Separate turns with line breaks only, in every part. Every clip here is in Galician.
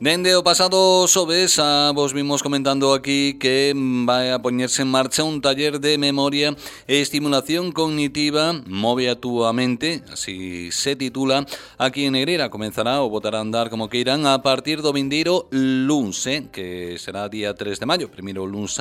Dende o pasado xoves vos vimos comentando aquí que vai a poñerse en marcha un taller de memoria e estimulación cognitiva Move a túa mente, así se titula, aquí en Negreira. Comenzará o botar a andar como que irán a partir do vindeiro luns, que será día 3 de maio, primeiro luns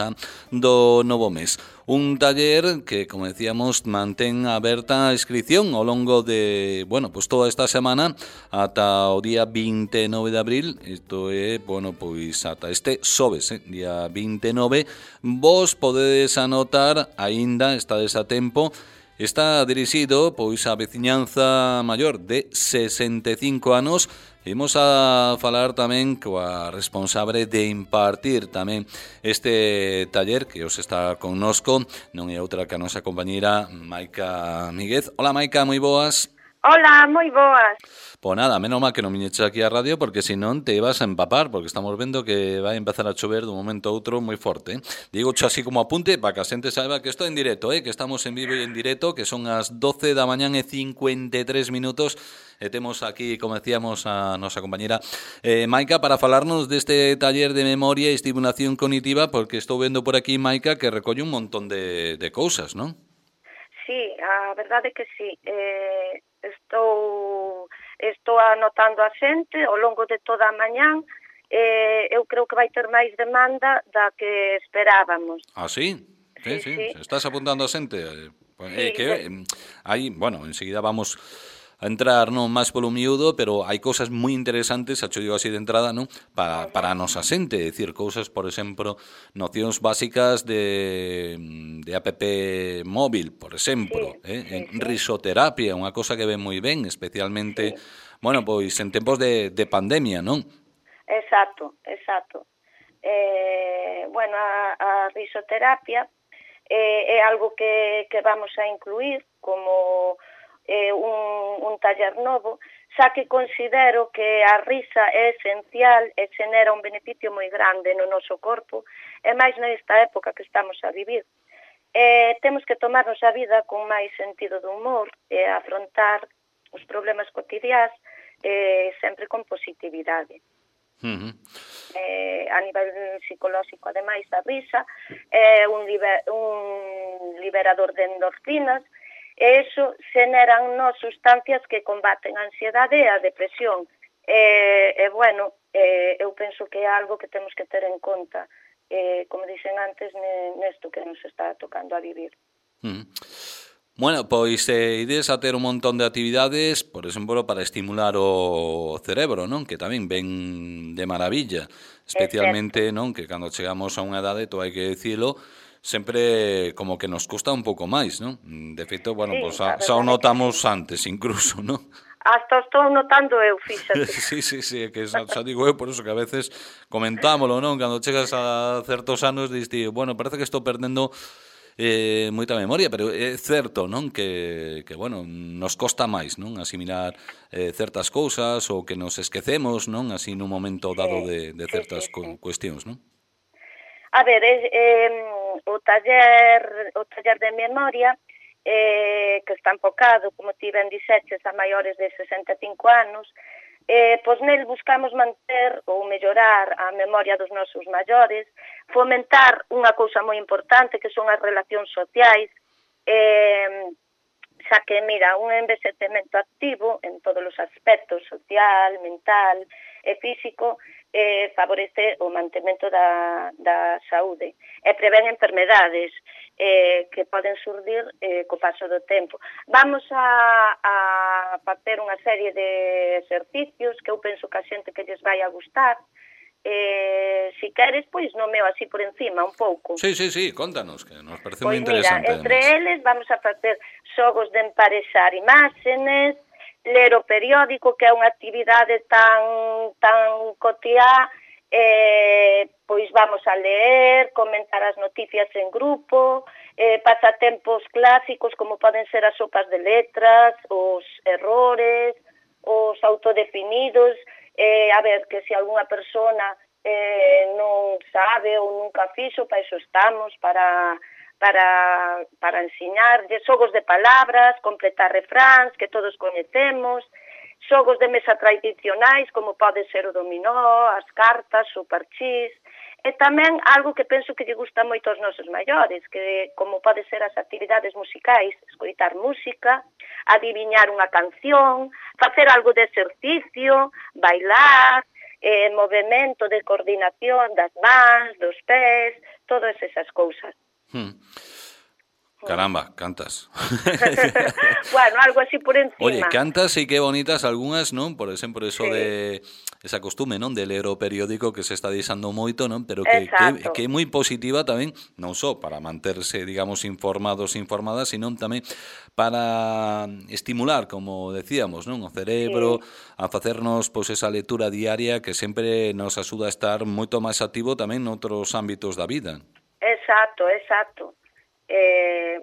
do novo mes. Un taller que, como decíamos, mantén aberta a inscripción ao longo de, pues toda esta semana ata o día 29 de abril. Isto é, pois ata este xoves, día 29, vos podedes anotar, aínda estades a tempo. Está dirixido pois á veciñanza maior de 65 anos. Imos a falar tamén coa responsable de impartir tamén este taller que os está connosco, non é outra que a nosa compañeira Maica Míguez. Hola Maica, moi boas.
Hola, moi boas.
Pois nada, menos mal que non viñeches aquí á radio, porque senón te ibas a empapar, porque estamos vendo que vai empezar a chover dun momento a outro moi forte. Digo así como apunte para que a xente saiba que isto é en directo, que estamos en vivo e en directo, que son as 12 da mañán e 53 minutos, e temos aquí, como decíamos, a nosa compañera Maica para falarnos deste taller de memoria e estimulación cognitiva, porque estou vendo por aquí, Maica, que recolle un montón de cousas, non?
Sí, a verdade é que sí. Estou anotando a xente ao longo de toda a mañán. Eu creo que vai ter máis demanda da que esperábamos.
Ah, sí? Sí. Estás apuntando a xente?
Sí,
aí, enseguida vamos a entrar máis polo miúdo, pero hai cousas moi interesantes, xa digo así de entrada, non? Para a nosa xente, é dicir, cousas, por exemplo, nocións básicas de app móvil, por exemplo, en risoterapia, unha cosa que ven moi ben, especialmente, pois en tempos de pandemia, non?
Exacto. A risoterapia é algo que vamos a incluir como un taller novo, xa que considero que a risa é esencial e xenera un beneficio moi grande no noso corpo, e máis nesta época que estamos a vivir. Temos que tomarnos a vida con máis sentido de humor e afrontar os problemas cotidiás sempre con positividade. A nivel psicolóxico, ademais, a risa é un liberador de endorfinas, e iso xeneran sustancias que combaten a ansiedade e a depresión. Eu penso que é algo que temos que ter en conta, como dixen antes, nesto que nos está tocando a vivir.
Pois ides a ter un montón de actividades, por exemplo, para estimular o cerebro, non? Que tamén ven de maravilla, especialmente, non? Que cando chegamos a unha edade, todo hai que dicilo, sempre como que nos custa un pouco máis, non? De feito, xa o notamos antes incluso, non?
Hasta estou notando eu, fíxate.
Sí, é que xa digo eu, por eso que a veces comentámolo, non? Cando chegas a certos anos, diste, parece que estou perdendo moita memoria, pero é certo, non? Que nos costa máis, non? Asimilar certas cousas ou que nos esquecemos, non? Así nun momento dado de certas cuestións, non?
A ver, o taller de memoria que está enfocado, como ti ben dixeches, a maiores de 65 anos, pois nel buscamos manter ou mellorar a memoria dos nosos maiores, fomentar unha cousa moi importante que son as relacións sociais, xa que, mira, un envexecemento activo en todos os aspectos, social, mental e físico, favorece o mantemento da saúde e prevén enfermedades que poden surdir co paso do tempo. Vamos a facer unha serie de exercicios que eu penso que a xente que lles vai a gustar. Si queres, pois nomeo así por encima un pouco.
Sí, contanos, que nos parece moi interesante.
Pois mira, entre eles vamos a facer xogos de emparexar imágenes, ler o periódico, que é unha actividade tan cotiá, pois vamos a ler, comentar as noticias en grupo, pasatempos clásicos como poden ser as sopas de letras, os errores, os autodefinidos, a ver, que se algunha persona non sabe ou nunca fixo, para iso estamos, para ensiñarlle xogos de palabras, completar refráns que todos coñecemos, xogos de mesa tradicionais, como pode ser o dominó, as cartas, o parchís, e tamén algo que penso que lle gusta moito aos nosos maiores, que como pode ser as actividades musicais, escoitar música, adiviñar unha canción, facer algo de exercicio, bailar, movimento de coordinación das mans, dos pés, todas esas cousas.
Caramba, cantas.
Bueno, algo así por encima.
Oye, cantas e que bonitas algunhas, non? Por exemplo, eso de esa costume, non? De ler o periódico que se está deixando moito, non? Pero que é moi positiva tamén, non só para manterse, digamos, informados, informadas, sino tamén para estimular, como decíamos, non? O cerebro, a facernos, pois, esa lectura diaria que sempre nos axuda a estar moito máis activo tamén noutros ámbitos da vida.
Exacto.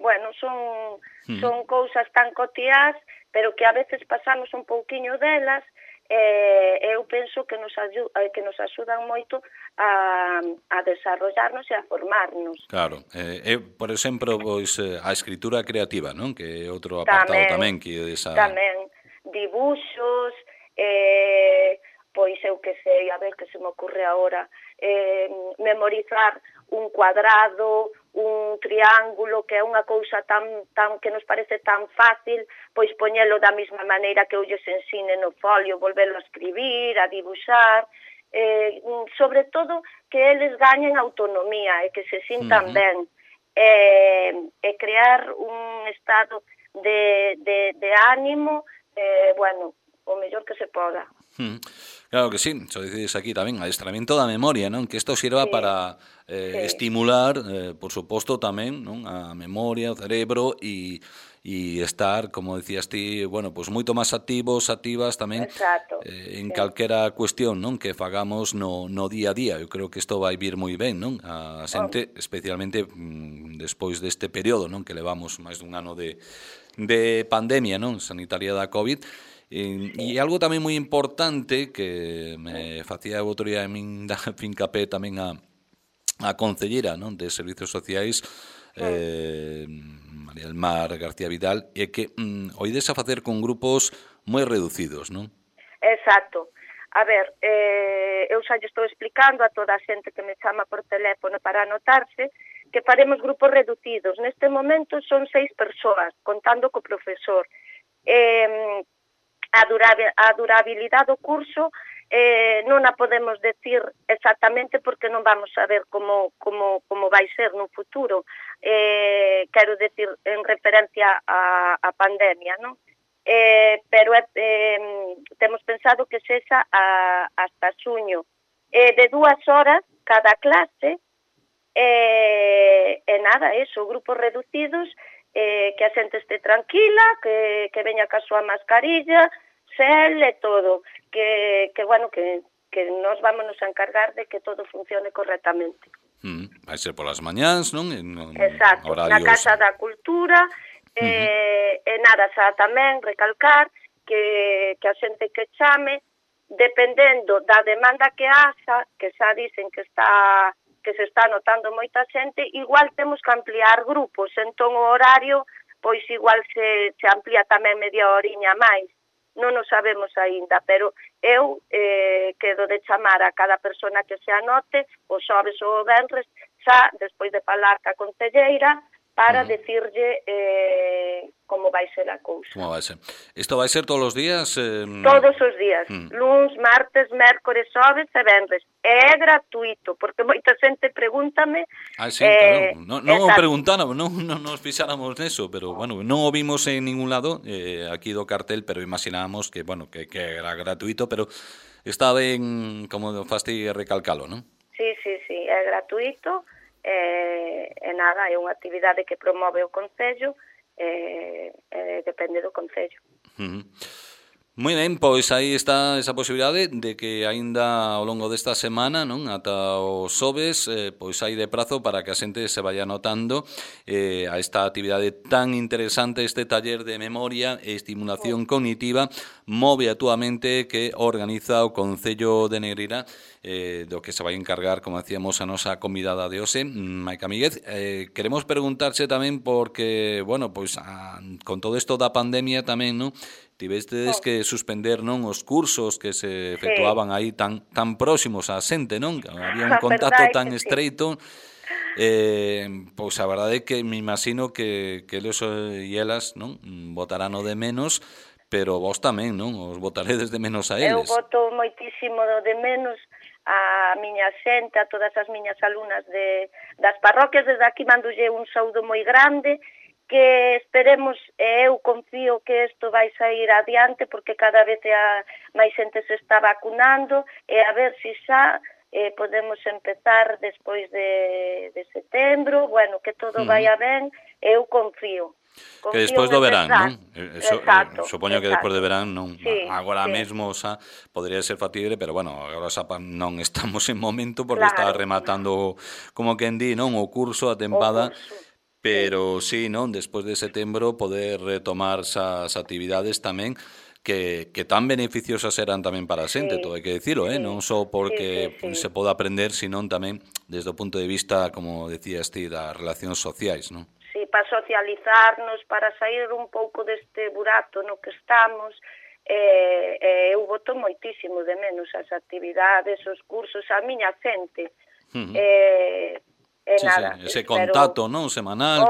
Bueno, son cousas tan cotiás, pero que a veces pasamos un pouquiño delas, eu penso que nos axudan moito a desarrollarnos e a formarnos.
Claro, por exemplo, pois, a escritura creativa, non? Que é outro apartado tamén que esa...
Tamén, dibuxos, pois eu que sei, a ver que se me ocurre agora, memorizar un cuadrado, un triángulo, que é unha cousa tan que nos parece tan fácil, pois poñelo da mesma maneira que eu lles ensine no folio, volverlo a escribir, a dibuxar, sobre todo que eles gañen autonomía e que se sintan ben, e crear un estado de ánimo, bueno, o mellor que se poda.
Claro que sí, xo dices aquí tamén, adestramento da memoria, non? Que isto sirva para estimular, por suposto, tamén, non? A memoria, o cerebro e estar, como decías ti, bueno, pues moito máis activos, activas tamén en calquera cuestión, non? Que fagamos no día a día. Eu creo que isto vai vir moi ben, non? A xente, especialmente despois deste período, non? Que levamos máis dun ano de pandemia, non? Sanitaria da COVID. E algo tamén moi importante que me facía o outro día a min da fincapé tamén a concelleira, non, de Servizos Sociais, María del Mar García Vidal, é que oides a facer con grupos moi reducidos, non?
Exacto. A ver, eu xa lle estou explicando a toda a xente que me chama por teléfono para anotarse que faremos grupos reducidos. Neste momento son 6 persoas, contando co profesor. A durabilidade do curso non a podemos decir exactamente porque non vamos a ver como vai ser no futuro. Quero decir, en referencia á pandemia, non? Pero temos pensado que sexa hasta xuño. De 2 horas cada clase, e nada, eso, grupos reducidos, que a xente este tranquila, que veña ca súa mascarilla, xel e todo, que bueno, que nos vámonos a encargar de que todo funcione correctamente.
Vai ser polas mañáns, non?
Exacto, na Casa da Cultura, e nada, xa tamén recalcar que a xente que chame, dependendo da demanda que haxa, que xa dicen que se está notando moita xente, igual temos que ampliar grupos, entón o horario, pois igual se amplía tamén media horiña máis. Non o sabemos aínda, pero eu quedo de chamar a cada persona que se anote, o xoves ou o venres, xa despois de falar ca concelleira, para decirlle como vai ser a cousa.
Como vai ser? Isto vai ser todos os días?
Todos os días, luns, martes, mércores, xoves e venres. É gratuito, porque moita xente pregúntame...
Sí, claro. Non o preguntáramos, non nos fixáramos neso, pero, bueno, non o vimos en ningún lado, aquí do cartel, pero imaginábamos que, bueno, que era gratuito, pero está ben, como faste recalcalo, non?
Sí, é gratuito, e nada, é unha actividade que promove o Concello, depende do Concello.
Moi ben, pois aí está esa posibilidade de que aínda ao longo desta semana, non, ata os xoves, pois hai de prazo para que a xente se vaya anotando a esta actividade tan interesante, este taller de memoria e estimulación cognitiva Move a túa mente que organiza o Concello de Negreira do que se vai encargar, como decíamos, a nosa convidada de hoxe, Maica Míguez. Queremos preguntarche tamén porque, bueno, pois con todo isto da pandemia tamén, non? Tivestes que suspender, non, os cursos que se efectuaban aí tan próximos á xente, non? Que había un contacto tan estreito. Pois a verdade é que me imagino que eles e elas, non, botarán o de menos, pero vos tamén, non? Os botaredes de menos a eles.
Eu boto moitísimo de menos a miña xente, a todas as miñas alumnas das parroquias. Desde aquí mandolle un saúdo moi grande, que esperemos, eu confío que isto vai sair adiante, porque cada vez máis xente se está vacunando, e a ver se xa podemos empezar despois de setembro, bueno, que todo vaya ben, eu confío.
Que despois do verán, non? Supoño que despois
de
do verán non.
Sí,
agora mesmo xa podría ser factible, pero bueno, agora xa non estamos en momento porque está rematando, como quen di, non, o curso, a tempada. Pero sí, non, despois de setembro poder retomar esas actividades tamén que tan beneficiosas eran tamén para a xente, todo hai que dicilo, non só porque se pode aprender, senón tamén desde o punto de vista, como decías ti, das relacións sociais, non?
Sí, para socializarnos, para sair un pouco deste burato no que estamos. Eu boto moitísimo de menos as actividades, os cursos, a miña xente. Nada,
ese contacto, non, semanal,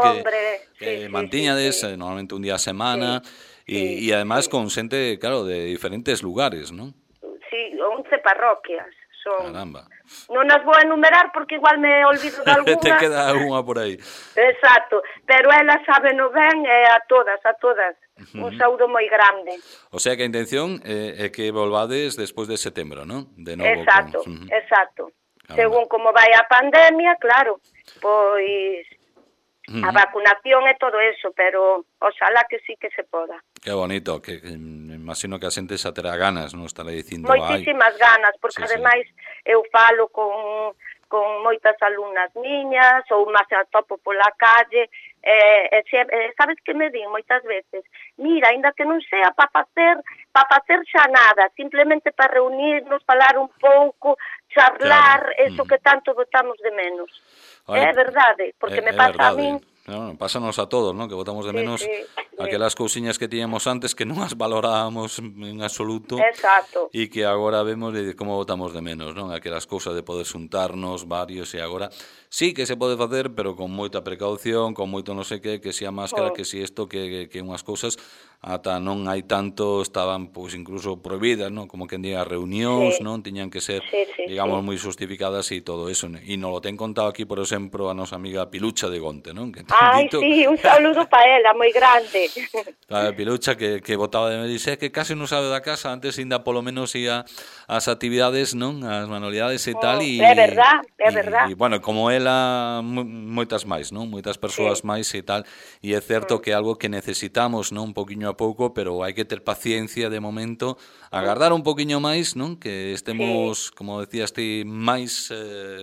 que mantiñades normalmente un día a semana, e además con xente, claro, de diferentes lugares, non?
Sí, 11 parroquias son.
Caramba.
Non as vou enumerar porque igual me olvido de alguna.
Te queda unha por aí.
Exacto, pero elas sábeno ben, a todas. Un saúdo moi grande.
O sea que a intención é que volvades despois de setembro, non? De novo.
Exacto. Según como vai a pandemia, claro, pois a vacunación e todo eso, pero oxalá que sí que se poda.
Que bonito, que me imagino que a xente xa terá ganas, non? Estará dicindo,
moitísimas ganas, porque ademais eu falo con moitas alumnas miñas, ou máis a topo pola calle, sabes que me din moitas veces, mira, ainda que non sea para facer xa nada, simplemente para reunirnos, falar un pouco, charlar, eso que tanto botamos de menos. É verdade, porque me pasa a min.
No, pásanos a todos, ¿no? Que botamos de menos aquelas cousiñas que tiñamos antes que non as valorábamos en absoluto.
Exacto.
E que agora vemos de como botamos de menos, non? Aquelas cousas de poder xuntarnos varios e agora sí que se pode facer, pero con moita precaución, con moito non sei que si a máscara, que si isto, que unhas cousas ata non hai tanto, estaban pois incluso prohibidas, non? Como que en día reunións, non? Tiñan que ser, digamos, moi justificadas e todo eso. E non lo ten contado aquí, por exemplo, a nosa amiga Pilucha de Gonte, non? Que
sí, un saludo para ela, moi grande.
A Pilucha que botaba de me dice que case non sabe da casa, antes ainda polo menos ia ás actividades, non? As manualidades e tal.
É verdad.
E, bueno, como ela, moitas máis, non? Moitas persoas máis e tal. E é certo que é algo que necesitamos, non? Un poquinho a pouco, pero hai que ter paciencia de momento, agardar un poquinho máis, non? Que estemos, como decías ti, máis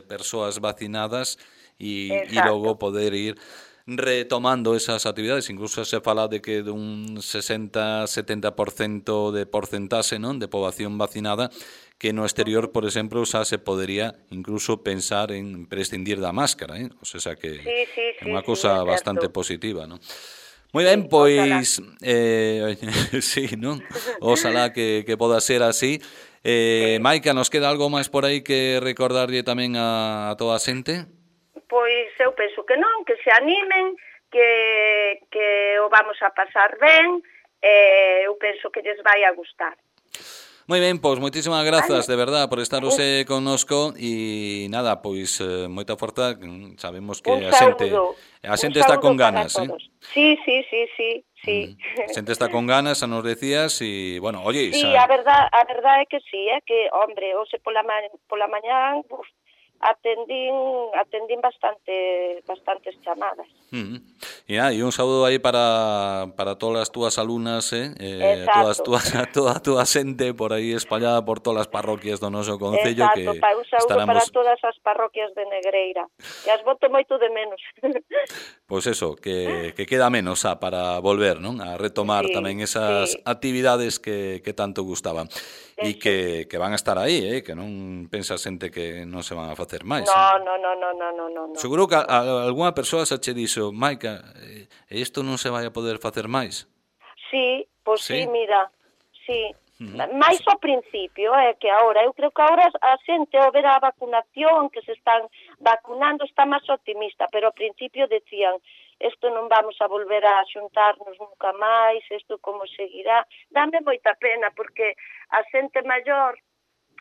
persoas vacinadas e logo poder ir retomando esas actividades. Incluso se fala de que dun 60-70% de porcentaxe, non, de poboación vacinada, que no exterior, por exemplo, xa se podería incluso pensar en prescindir da máscara, O sea que é unha cousa bastante positiva, non? Moi ben, pois sí, non? Oxalá que poda ser así. Maica, nos queda algo máis por aí que recordarlle tamén a toda a xente?
Pois eu penso que non, que se animen, que o vamos a pasar ben, eu penso que lles vai a gustar.
Moi ben, pois moitísimas grazas, de verdad, por estar hoxe connosco e nada, pois moita forza, sabemos que a xente está con ganas,
Sí.
A xente está con ganas, xa nos decías, e, bueno, oye...
Sí, a verdade é que sí, que, hombre, hoxe pola mañán, atendín bastantes chamadas.
E E un saúdo aí para todas as túas alumnas, toda a túa xente por aí espallada por todas as parroquias do noso concello.
Exacto, un saúdo para todas as parroquias de Negreira, que as boto moito de menos.
Pois eso, que queda menos para volver, non? A retomar tamén esas actividades que tanto gustaban. E que van a estar aí, que non pensa xente que non se van a facer máis.
No.
Seguro que algunha persoa xa che dixo, Maica, isto non se vai a poder facer máis?
Sí, pois sí, mira, sí. Mais ao principio, que agora, eu creo que agora a xente ao ver a vacunación, que se están vacunando, está máis optimista, pero ao principio decían, isto non vamos a volver a xuntarnos nunca máis, isto como seguirá. Dame moita pena, porque a xente maior,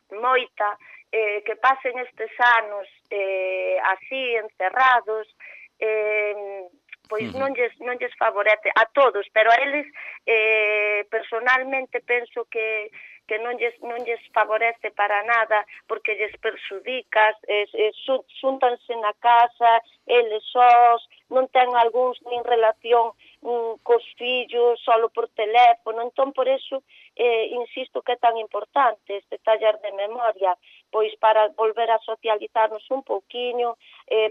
moita, que pasen estes anos así, encerrados, pois non lles favorece a todos, pero a eles personalmente penso que non lles favorece para nada, porque lles perxudicas, xúntanse na casa, eles sós, non ten algúns nin relación cos fillos, solo por teléfono, entón por eso insisto que é tan importante este taller de memoria, pois para volver a socializarnos un pouquiño,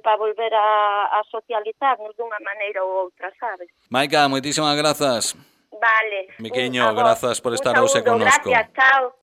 para volver a socializarnos dunha maneira ou outra, sabes?
Maica, moitísimas grazas.
Vale.
Miqueño, grazas por estar hoxe connosco.
Gracias, chao.